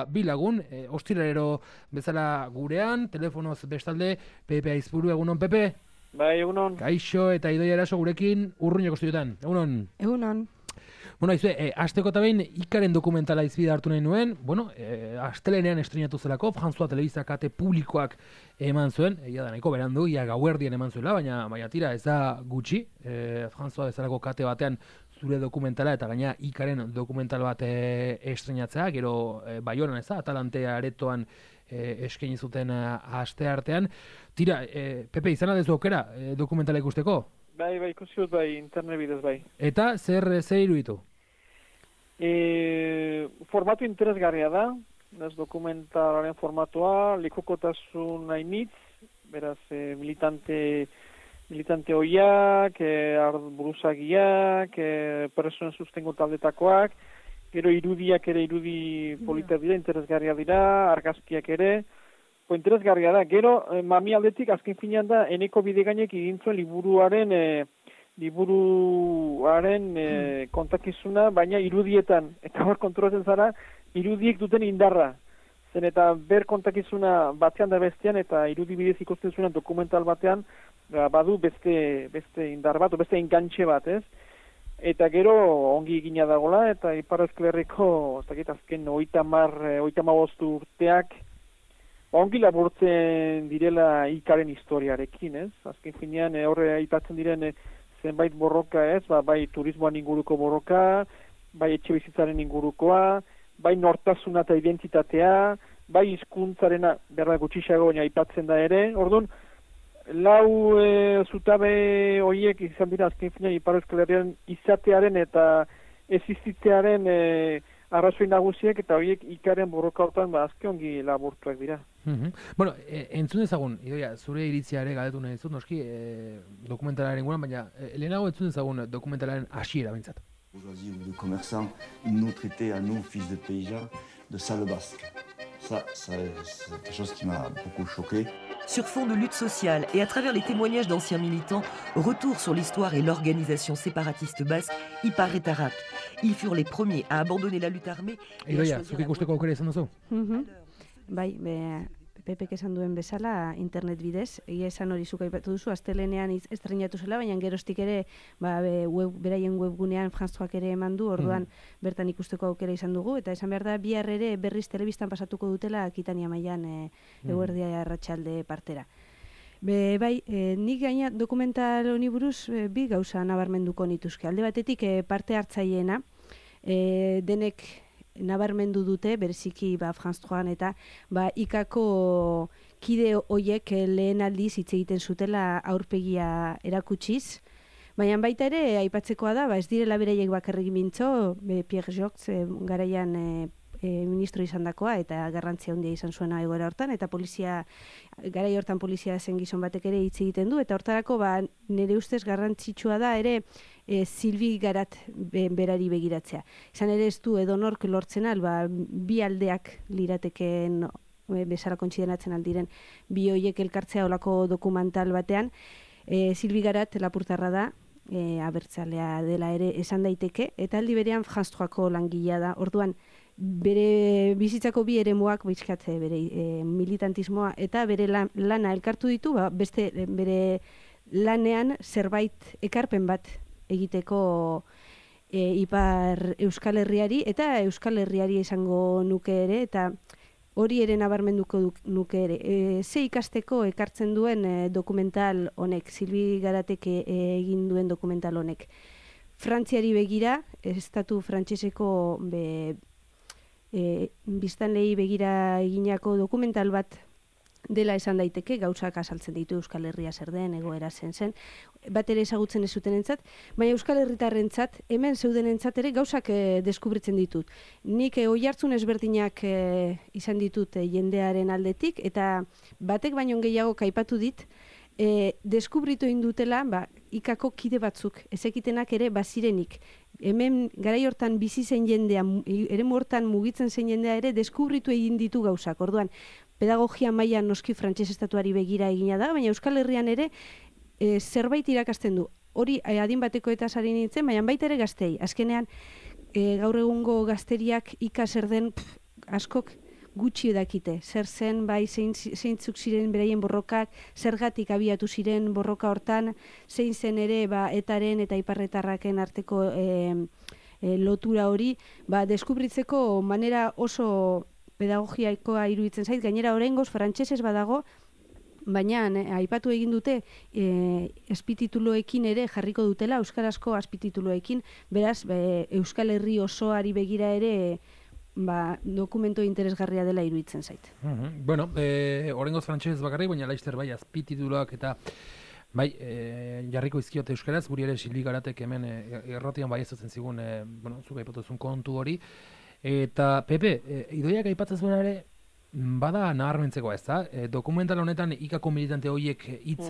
Bi lagun, ostiralero bezala gurean, telefonoz bestalde, Pepe Aizpuru, egunon, Pepe? Bai, egunon. Kaixo eta Idoia Eraso gurekin urruñoko estudiotan, egunon? Egunon. Bueno, aizue, asteko eta behin Ikaren dokumentala izbide hartu nahi nuen, astelenean estrenatu zelako, François Telebista kate publikoak eman zuen, da nahiko berandu, gauerdian eman zuela, baina tira, ez da gutxi, François bezalako kate batean zure dokumentala eta gaina Ikaren dokumental bat estrenatzea, gero Baionan ez da, Atalante aretoan eskaini zuten asteartean. Tira, Pepe, izan adezu aukera dokumentala ikusteko? Bai, ikusi dut bai, internet bidez bai. Eta zer iruditu? Formatu interesgarria da, ez dokumentalaren formatua, lekukotasun hainitz, beraz militante hoiak, buruzagiak, personen sustengo taldetakoak, gero irudiak ere irudi politak dira, interesgarria dira, argazkiak ere, interesgarria da. Gero, mami aldetik, azken finean da, Eneko Bidegainek egin zuen liburuaren kontakizuna, baina irudietan, eta hor kontrolatzen zara, irudiek duten indarra. Zen eta ber kontakizuna batean da bestean, eta irudi bidez ikusten zuen dokumental batean, badu beste indar bat, beste engantxe bat, ez? Eta gero ongi egina dagola, eta Ipar Euskal Herriko, azken 35 urteak, ongi laburtzen direla Ikaren historiarekin, ez? Azken finean horre aipatzen diren zenbait borroka, ez? Bai turismoan inguruko borroka, bai etxe bizitzaren ingurukoa, bai nortasuna eta identitatea, bai hizkuntzarena berda gutxiago baina aipatzen da ere. Orduan, lau zutabe horiek izan dira azken finean Ipar Euskal Herrian izatearen eta existitzearen arrazoi nagusiek, eta horiek Ikaren borroka hortan azke ongi laburtuak dira. Bueno, entzun dezagun, Idoia, zure iritzia ere galdetu nahi dizut, noski, dokumentalaren guran, baina lehenago entzun dezagun dokumentalaren hasiera behintzat. Bourgeoisie ou de commerçants, ils nous traitaient à nous, fils de paysans, de sale basque. Ça, c'est quelque chose qui m'a beaucoup choqué. Sur fond de lutte sociale et à travers les témoignages d'anciens militants, retour sur l'histoire et l'organisation séparatiste basque, Ipar et Tarak. Ils furent les premiers à abandonner la lutte armée. Idoia, zuk ikusteko aukera izan duzu? Bai, Pepek esan duen bezala internet bidez, egia esan hori zuk aipatu duzu, astelenean estrenatu zela, baina geroztik ere beraien webgunean Françoak ere eman du, orduan bertan ikusteko aukera izan dugu, eta esan behar da, bihar ere berriz telebistan pasatuko dutela Akitania mailan eguerdia arratsalde partera. Bai, nik gaina dokumental honi buruz bi gauza nabarmenduko nituzke. Alde batetik parte hartzaileena, denek nabarmendu dute, bereziki Françoan eta Ikako kide hoiek lehen aldiz hitz egiten zutela aurpegia erakutsiz, baina baita ere aipatzekoa da, ez direla beraiek bakarrik mintzo, Pierre Jox garaian ministro izan dakoa, eta garrantzia handia izan zuena egoera hortan, eta garai hortan polizia zen gizon batek ere hitz egiten du, eta hortarako nire ustez garrantzitsua da ere Silvi Garat berari begiratzea. Izan ere ez du edonork lortzen bi aldeak lirateken bezala kontsideratzen aldiren bi hoiek elkartzea olako dokumental batean. Silvi Garat lapurtarra da, abertzalea dela ere esan daiteke, eta aldi berean Françoako langilea da. Orduan, bere bizitzako bi eremuak bizkatze, bere militantismoa eta bere lana elkartu ditu, beste bere lanean zerbait ekarpen bat egiteko Ipar Euskal Herriari eta Euskal Herriari esango nuke ere, eta hori ere nabarmenduko nuke ere. Ze ikasteko ekartzen duen dokumental honek, Silvi Garatek egin duen dokumental honek. Frantziari begira, estatu frantseseko biztanleei begira eginako dokumental bat dela esan daiteke, gauzak azaltzen ditu Euskal Herria zer den, egoera zen, bat ere ezagutzen ez zutenentzat, baina Euskal Herritarrentzat, hemen zeudenentzat ere gauzak deskubritzen ditut. Nik oihartzun ezberdinak izan ditut jendearen aldetik, eta batek baino gehiago kaipatu dit, deskubritu indutela Ikako kide batzuk, ezekitenak ere bazirenik. Hemen garai hortan bizi zen jendea, eremu hortan mugitzen zen jendea ere deskubritu egin ditu gauzak. Orduan, pedagogia mailan noski frantses estatuari begira egina da, baina Euskal Herrian ere zerbait irakasten du. Hori adin bateko eta sari nintzen, baina baita ere gaztei. Azkenean, gaur egungo gazteriak ika zer den askok gutxi dakite, zer zen, bai, zeintzuk ziren beraien borrokak, zergatik abiatu ziren borroka hortan, zein zen ere, etaren eta iparretarraken arteko lotura hori, deskubritzeko manera oso pedagogiaikoa iruditzen zait, gainera oraingoz frantsesez badago, baina aipatu egin dute azpitituluekin ere jarriko dutela, euskarazko azpitituluekin, beraz, Euskal Herri osoari begira ere dokumento interesgarria dela iruditzen zait. Bueno, oraingoz frantsesez bakarrik, baina laizter bai azpitituluak eta bai, jarriko izkiote euskaraz, guri ere Silvi Garatek hemen errotian bai ezatzen zigun, zuk aipatuzun kontu hori. Eta, Pepe, Idoiak aipatzen zuen ere, bada nabarmentzeko ez da? Dokumental honetan ikako militante horiek hitz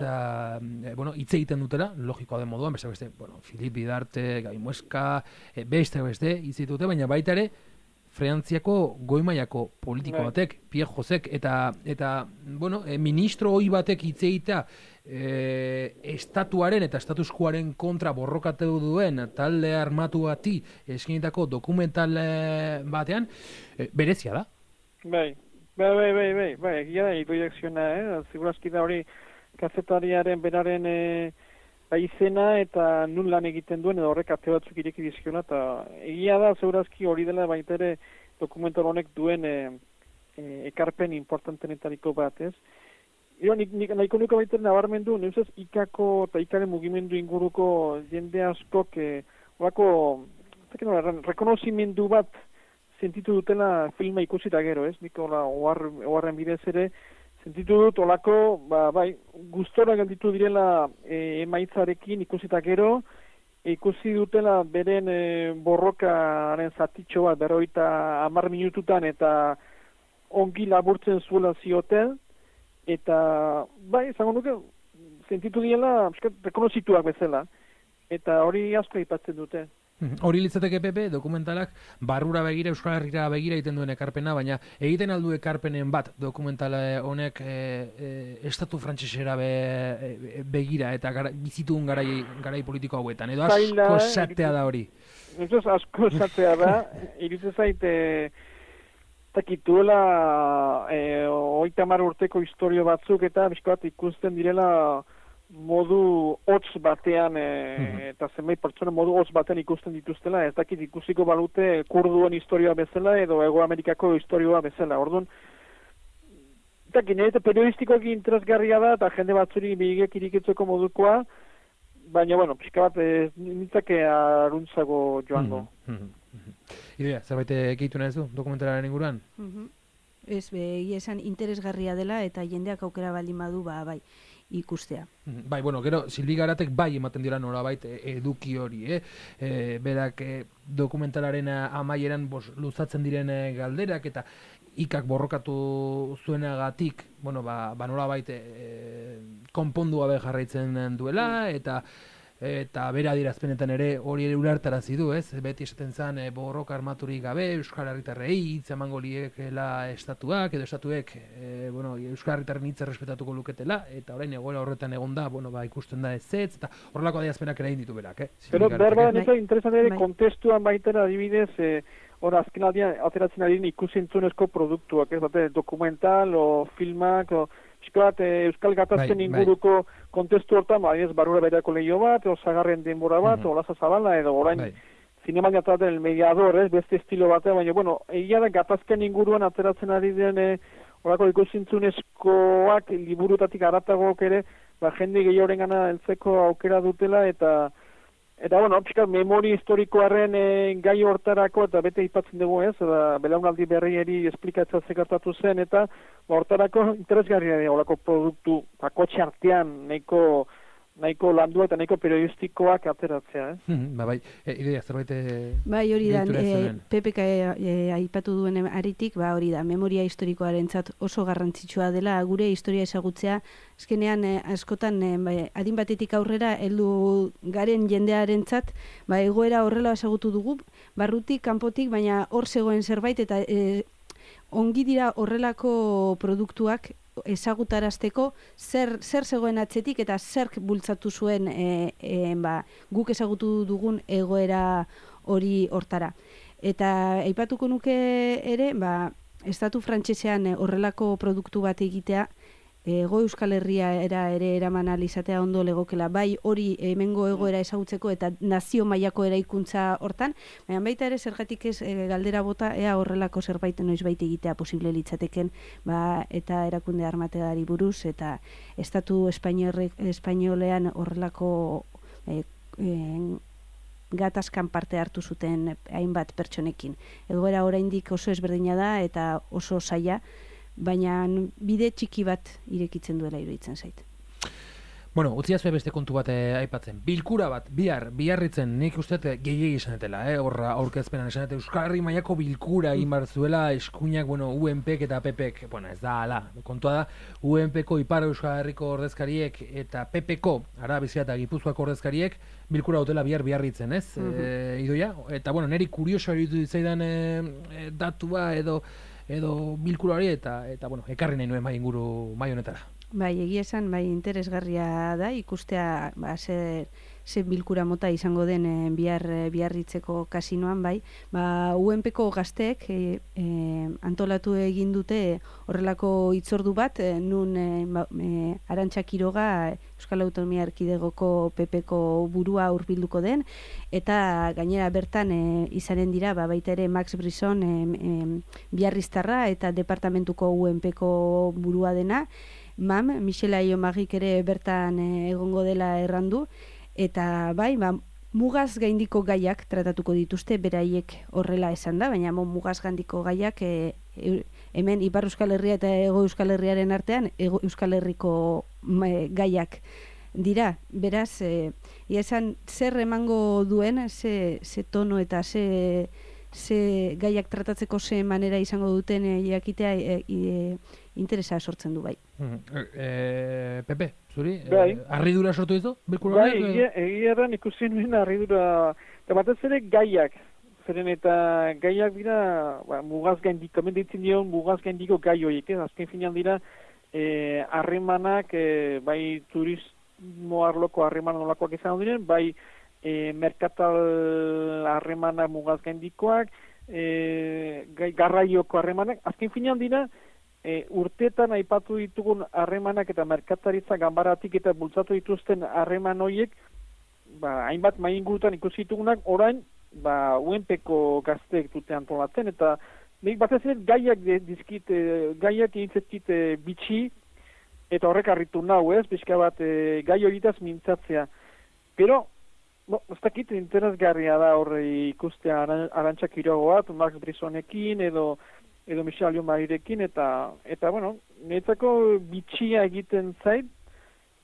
egiten dutela, logikoa den moduan, beste, Filip Bidarte, Gai Mueska, beste, hitz ditute, baina baita ere, Frantziako goi-mailako politiko batek, Pierre Josek, eta ministro hoi batek hitz egitea estatuaren eta statuskuaren kontra borrokatu duen talde armatu bati eskinitako dokumental batean, berezia da? Bai, egia da, Idoiak ziona, segurazki da hori kazetariaren beraren izena eta nun lan egiten duen edo horrek ate batzuk ireki dizkiona, eta egia da segurazki hori dela baita ere dokumental honek duen ekarpen importantenetariko bat, ez? Nik nahiko nuke baita nabarmendu, neuzaz ikako eta ikaren mugimendu inguruko jende askok rekonozimendu bat sentitu dutela filma ikusita gero, ez? Nik oharren bidez ere sentitu dut olako, gustora gelditu direla emaitzarekin ikusita gero, ikusi dutela beren borrokaren zatitxo bat 50 minututan eta ongi laburtzen zuela zioten, eta izango nuke sentitu direla rekonozituak bezala, eta hori asko aipatzen dute. Hori litzateke Pepe, dokumentalak barrura begira, Euskal Herrira begira egiten duen ekarpena, baina egiten aldu ekarpenen bat dokumentala honek estatu frantsesera begira eta bizitun garai politiko hauetan, edo asko esatea da hori. Ez asko esatea da, iruditzen zait takituela 30 urteko historio batzuk eta bizkoat ikusten direla modu hotz batean eta zenbait pertsona modu hotz batean ikusten dituztela, ez dakit ikusiko balute kurduen historioa bezala edo Hego Amerikako historioa bezala. Orduan, eta periodistikoak interesgarria da eta jende batzuri bigek irikitzeko modukoa, baina, pixka bat nintzake aruntzago joango. Idea, zerbait egitu nahi zu dokumentalaren inguruan? Ez, esan interesgarria dela eta jendeak aukera baldin badu, bai, ikustea. Bai, gero, Silvi Garatek bai ematen dira nolabait eduki hori, berak dokumentalaren amaieran luzatzen diren galderak eta ikak borrokatu zuenagatik, nolabait konpondua jarraitzen duela, eta bere adierazpenetan ere hori ere ulertarazi du, ez? Beti esaten zen borroka armaturik gabe Euskal Herritarrei hitz emango liekela estatuak edo estatuek Euskal Herritarren hitza errespetatuko luketela, eta orain egoera horretan egonda, ikusten da ez, eta horrelako adierazpenak ere egin ditu berak, Pero berba neta interesante ere kontestuan baitera adibidez, azken aldian ateratzen ari ikusentzunezko produktuak, ez bate dokumental o filmak o Euskal Gatazken inguruko kontestu hortan, barrura berako lehio bat, Zagarren denbora bat, Olaza Zabala, edo orain zineman jataten el mediador, beste estilo batean, baina, egia da Gatazken inguruan ateratzen ari den horako ikusentzunezkoak liburutatik aratagok ere, jende gehioren gana heltzeko aukera dutela, eta memori historikoaren gai hortarako, eta bete aipatzen dugu ez, belaunaldi berrieri esplikatzea zekartatu zen, eta hortarako interesgarria da, horako produktu, kotxe artean, nahiko landua eta nahiko periodistikoak ateratzea, idea, zerbait... Bai, hori da, Pepek aipatu duen aritik, hori da, memoria historikoarentzat oso garrantzitsua dela, gure historia ezagutzea, azkenean, askotan, adin batetik aurrera, heldu garen jendearentzat, egoera horrela ezagutu dugu, barrutik, kanpotik, baina hor zegoen zerbait, eta ongi dira horrelako produktuak ezagutarazteko zer zegoen atzetik eta zerk bultzatu zuen guk ezagutu dugun egoera hori hortara. Eta aipatuko nuke ere, estatu frantsesean horrelako produktu bat egitea, Hego Euskal Herria ere eraman alizatea ondo legokela, bai hori hemengo egoera ezagutzeko eta nazio mailako eraikuntza hortan, baina baita ere zergatik ez galdera bota ea horrelako zerbait noizbait egitea posible litzateken, eta erakunde armategari buruz eta estatu espainolean horrelako gatazkan parte hartu zuten hainbat pertsonekin. Egoera oraindik oso ezberdina da eta oso zaila, baina bide txiki bat irekitzen duela iruditzen zait. Bueno, utziazue beste kontu bat aipatzen. Bilkura bat, biarritzen, nik uste gehiegi esanetela, horra aurkezpenan esanet, Euskal Herri mailako bilkura egin behar zuela, eskuinak, UNPek eta PPek, ez da, ala, kontua da, UNPko Ipar Euskal Herriko ordezkariek eta PPko, Araba Bizkaia eta Gipuzkoako ordezkariek, bilkura dutela biarritzen, ez? Idoia? Eta, niri kurioso eritu ditzaidan datua edo bilkura hori eta ekarri nahi nuen mai honetara. Bai, egia esan, interesgarria da, ikustea ze bilkura mota izango den biarritzeko kasinoan, bai. UNPko gazteek antolatu egin dute horrelako hitzordu bat, nun Arantxa Quiroga, Euskal Autonomia Erkidegoko PPko burua hurbilduko den, eta gainera bertan izanen dira, baita ere Max Brisson biarriztarra eta departamentuko UNPko burua dena, Michel Ayomagik ere bertan egongo dela errandu, eta mugaz gaindiko gaiak tratatuko dituzte, beraiek horrela esan da, baina mugaz gaindiko gaiak hemen Ipar Euskal Herria eta Hego Euskal Herriaren artean Hego Euskal Herriko gaiak dira. Beraz, esan zer emango duen, ze tono eta ze gaiak tratatzeko ze manera izango duten jakitea interesa sortzen du, bai. Pepe, zuri, Bai. harridura sortu dizu? Bai, egia erran ikusi nuen harridura, eta batez ere gaiak, zeren eta gaiak dira, mugaz gaindiko, menditzen dion mugaz gaindiko gai horiek, azken finean dira, harremanak, bai turismo arloko harreman nolakoak izan diren, bai merkatal harremanak mugaz gaindikoak, garraioko harremanak, azken finean dira, urteetan aipatu ditugun harremanak eta merkataritza ganbaratik eta bultzatu dituzten harreman horiek, hainbat maingurutan ikusi ditugunak, orain, UNPko gazteek dute antolatzen, eta nik batez ere gaiak egintzezkit bitxi, eta horrek harritu nau, pixka bat gai horietaz mintzatzea. Pero, ez dakit interesgarria da horre ikustea Arantxa Quiroga bat, Max Brissonekin, edo Michel Ayomarirekin, eta niretzako bitxia egiten zait,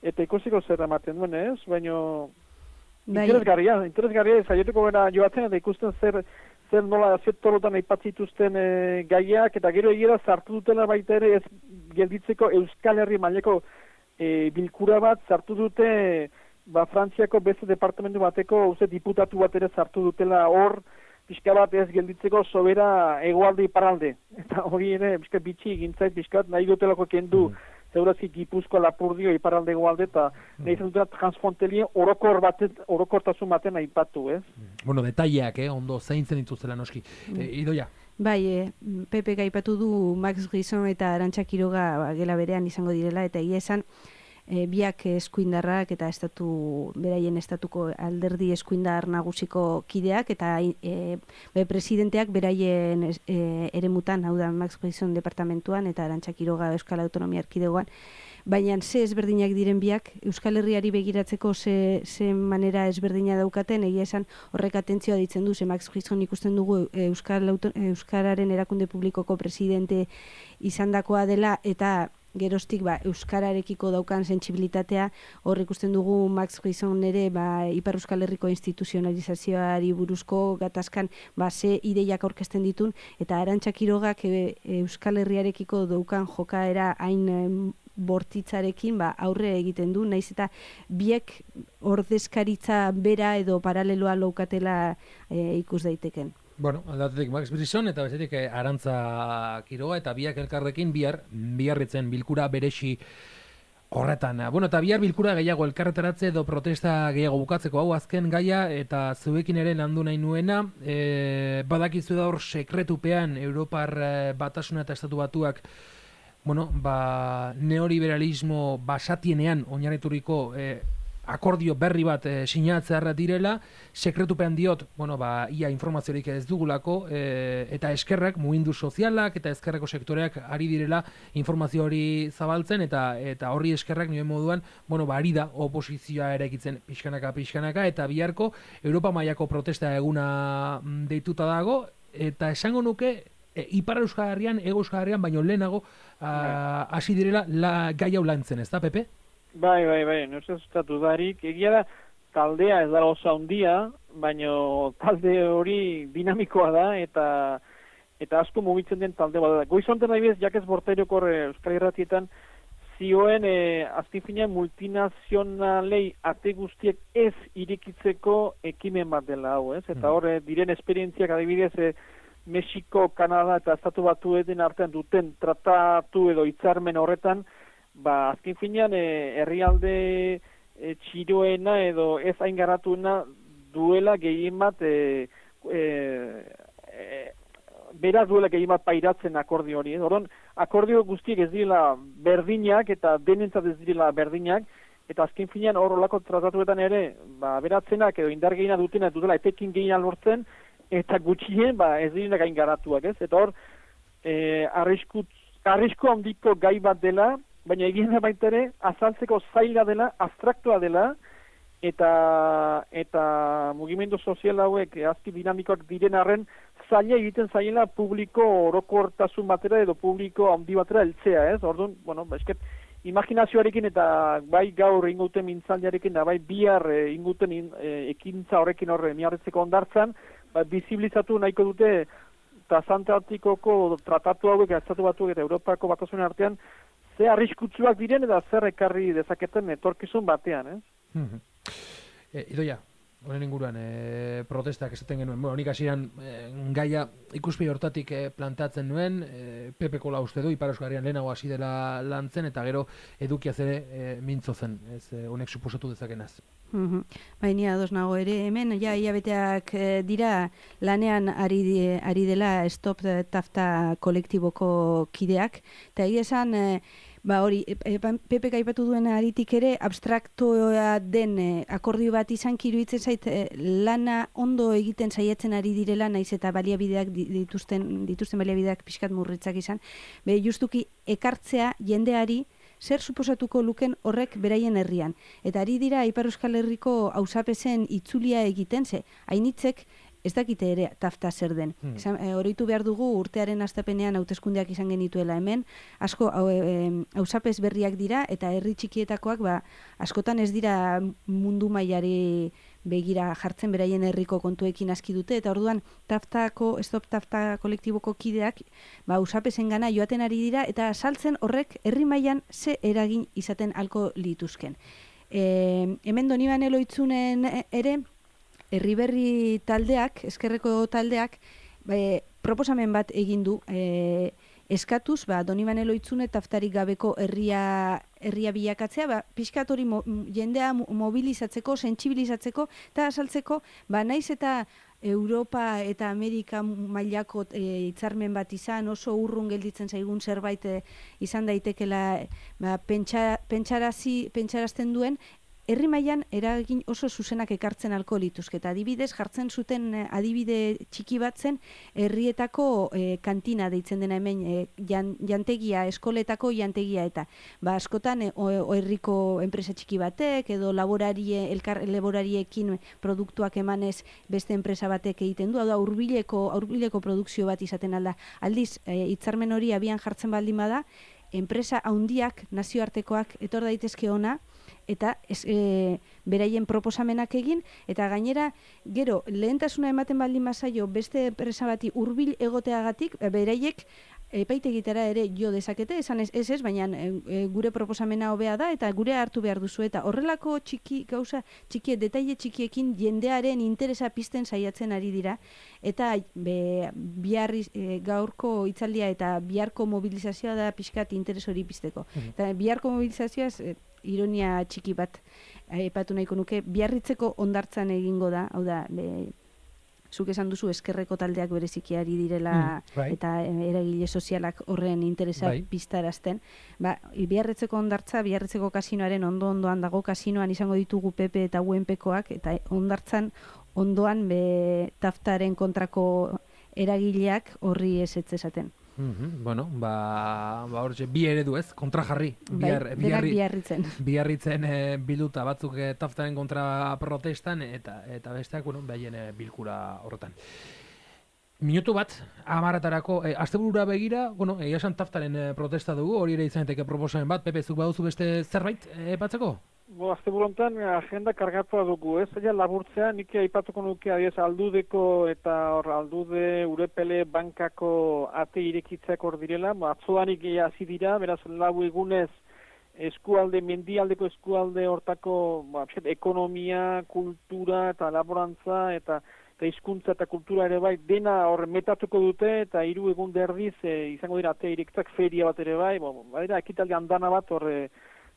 eta ikusiko zer ematen duen, baina interesgarria zaieteko gara joatzen, eta ikusten zer nola torotan aipatzituzten gaiak, eta gero egira sartu dutela baita ere ez gelditzeko Euskal Herri maileko bilkura bat sartu dute, Frantziako beste departamentu bateko diputatu bat ere sartu dutela hor, pixka bat ez gelditzeko sobera hegoalde iparalde. Eta hori ere, pixka bitxi egintzait, pixka bat nahi dutelako kendu, zeurazki Gipuzkoa, Lapurdio, iparalde hegoalde, eta nahi zen dutela transfrontelien orokortasun baten aipatu, ez? Detaileak, ondo zaintzen dituzela noski. Idoia? Bai, Pepe gaipatu du Max Brisson eta Arantxa Quiroga gela berean izango direla, eta egia esan, biak eskuindarrak eta beraien estatuko alderdi eskuindar nagusiko kideak eta presidenteak beraien eremutan, hau da Max Brisson departamentuan eta Arantxa Quiroga Euskal Autonomia Erkidegoan, baina ze ezberdinak diren biak, Euskal Herriari begiratzeko ze manera ezberdina daukaten, egia esan horrek atentzioa ditzen du, ze Max Brisson ikusten dugu Euskararen erakunde publikoko presidente izandakoa dela, eta geroztik euskararekiko daukan sentsibilitatea, hor ikusten dugu Max Brisson ere Ipar Euskal Herriko instituzionalizazioari buruzko gatazkan ze ideiak aurkezten ditun, eta Arantxa Quirogak Euskal Herriarekiko daukan jokaera hain bortitzarekin aurre egiten du, naiz eta biek ordezkaritza bera edo paraleloa laukatela ikus daiteken. Aldatetik Max Brisson eta bestetik Arantxa Quiroga eta biak elkarrekin biarritzen bilkura beresi Horretan, bueno, eta bihar bilkura gehiago elkarretaratze edo protesta gehiago bukatzeko hau azken gaia eta zuekin ere landu nahi nuena, badakizu da hor sekretupean Europar Batasuna eta Estatu Batuak, bueno, neoliberalismo basatienean oinarrituriko akordio berri bat sinatzearra direla, sekretupean diot, bueno, ia informaziorik ez dugulako, eta eskerrak, mugindu sozialak eta eskerreko sektoreak ari direla informazio hori zabaltzen, eta horri eskerrak nioen moduan, bueno, ari da oposizioa eraikitzen pixkanaka, eta biharko Europa mailako protesta eguna deituta dago, eta esango nuke, Ipar Euskal Herrian, Hego Euskal Herrian, baino lehenago hasi direla gai hau lantzen, ez da, Pepe? Bai, nuzestatu darik, egia da, taldea ez da oso handia, baino talde hori dinamikoa da, eta asko mugitzen den talde bat da. Goizonten nahi bez, Jakes Bortairokor Euskal Irratietan, zioen azken finean multinazionalei ate guztiek ez irikitzeko ekimen bat dela hau, ez? Eta hor, diren esperientziak adibidez, Mexiko, Kanada eta Estatu Batueten artean duten tratatu edo hitzarmen horretan, azken finean herrialde txiroena edo ez hain garatuena duela gehien bat beraz duela gehien bat pairatzen akordio hori. Orduan, akordio guztiek ez direla berdinak eta denentzat ez direla berdinak, eta azken finean hor olako tratatuetan ere beratzenak edo indar gehiena dutela etekin gehiena lortzen, eta gutxien ez direnak hain garatuak, ez? Eta hor, arrisku handiko gai bat dela, baina egin da baita ere, azaltzeko zaila dela, abstraktua dela, eta mugimendu sozial hauek azki dinamikoak diren arren, zaila egiten zaila publiko orokortasun batera edo publiko handi batera heltzea, ez? Orduan, bueno, esket, imaginazioarekin eta bai gaur inguten mintzaldiarekin, da bai bihar inguten ekintza horrekin horre miarretzeko ondartzan, bizibilizatu nahiko dute Transantartikoko tratatu hauek Estatu Batuak eta Europako Batasunen artean ze arriskutsuak diren eta zer ekarri dezaketen etorkizun batean, Idoia, honen inguruan protestak esaten genuen, bueno, nik hasieran gaia ikuspegi hortatik plantatzen nuen, Pepeko uste du, Ipar Euskal Herrian lehenago hasi dela lantzen, eta gero edukiaz ere mintzo zen, ez honek suposatu dezakenaz. Baina ados nago ere, hemen hilabeteak dira lanean ari dela Stop Tafta kolektiboko kideak, eta egia esan hori, Pepek aipatu duen aritik ere, abstraktoa den akordio bat izan iruditzen zait lana ondo egiten saiatzen ari direla, naiz eta baliabideak dituzten baliabideak pixkat murritzak izan, justuki ekartzea jendeari zer suposatuko luken horrek beraien herrian. Eta ari dira Ipar Euskal Herriko auzapezen itzulia egiten, hainitzek ez dakite ere tafta zer den. Oroitu behar dugu urtearen hastapenean hauteskundeak izan genituela hemen, asko auzapez berriak dira eta herri txikietakoak askotan ez dira mundu mailari begira jartzen beraien herriko kontuekin aski dute, eta orduan Stop Tafta kolektiboko kideak auzapezen gana joaten ari dira eta saltzen horrek herri mailan ze eragin izaten halko lituzken. Hemen Donibane Loitzunen ere Herriberri taldeak, eskerreko taldeak, proposamen bat egin du, eskatuz, Donibane Loitzune taftarik gabeko herria bilakatzea, pixkat hori jendea mobilizatzeko, sentsibilizatzeko, eta asaltzeko, naiz eta Europa eta Amerika mailako hitzarmen bat izan, oso urrun gelditzen zaigun zerbait izan daitekela pentsarazten duen, herri mailan eragin oso zuzenak ekartzen halko lituzke. Eta adibidez, jartzen zuten adibide txiki bat zen herrietako kantina deitzen dena hemen jantegia, eskoletako jantegia eta. Askotan herriko enpresa txiki batek edo laborariekin produktuak emanez beste enpresa batek egiten du, hau da hurbileko produkzio bat izaten alda. Aldiz, hitzarmen hori abian jartzen baldin bada, enpresa handiak, nazioartekoak etor daitezke ona, eta beraien proposamenak egin, eta gainera, gero, lehentasuna ematen baldin bazaio beste enpresa bati hurbil egoteagatik, beraiek epaitegitara ere jo dezakete, esan ez, baina gure proposamena hobea da eta gure hartu behar duzu eta horrelako gauza txiki, detaile txikiekin jendearen interesa pizten saiatzen ari dira eta gaurko hitzaldia eta biharko mobilizazioa da pixkat interes hori pizteko. Eta biharko mobilizazioaz ironia txiki bat aipatu nahiko nuke, Biarritzeko hondartzan egingo da, hau da, zuk esan duzu eskerreko taldeak bereziki ari direla eta eragile sozialak horren interesa piztarazten. Biarritzeko hondartza, Biarritzeko kasinoaren ondoan dago, kasinoan izango ditugu PP eta UNPkoak, eta hondartzan ondoan taftaren kontrako eragileak horri ez esaten. Bueno, hortxe, bi eredu ez, kontra jarri. Biarritzen bilduta batzuk taftaren kontra protestan eta besteak, behaien bilkura horretan. Minutu bat, 10:00-etarako, asteburura begira, egia esan taftaren protesta dugu, hori ere izaneteke proposamen bat, Pepe, zuk baduzu beste zerbait batzeko? Asteburu honetan agenda kargatua dugu, ez? Laburtzea, nik aipatuko nuke adiez Aldudeko eta Aldude Urepele bankako ate irekitzeak hor direla, atzoanik hasi dira, beraz lau egunez mendialdeko eskualde hortako ekonomia, kultura eta laborantza eta hizkuntza eta kultura ere bai, dena hor metatuko dute eta 3 egun derdiz izango dira ate irekitzak feria bat ere bai, badira ekitaldi andana bat hor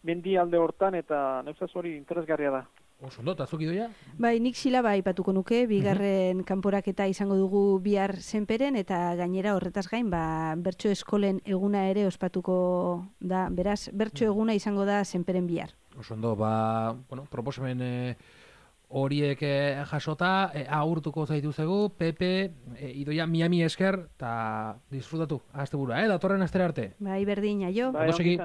mendialde hortan eta neuzaz hori interesgarria da. Oso ondo, eta zuk idoia? Nik silaba aipatuko nuke, bigarren kanporaketa izango dugu bihar Senperen eta gainera horretaz gain, bertso eskolen eguna ere ospatuko da, beraz, bertso eguna izango da Senperen bihar. Oso ondo, proposamen horiek jasota, agurtuko zaituzegu, Pepe, idoia, Miami esker, eta disfrutatu, asteburua, datorren astera arte. Berdin, aio. Ondo segi.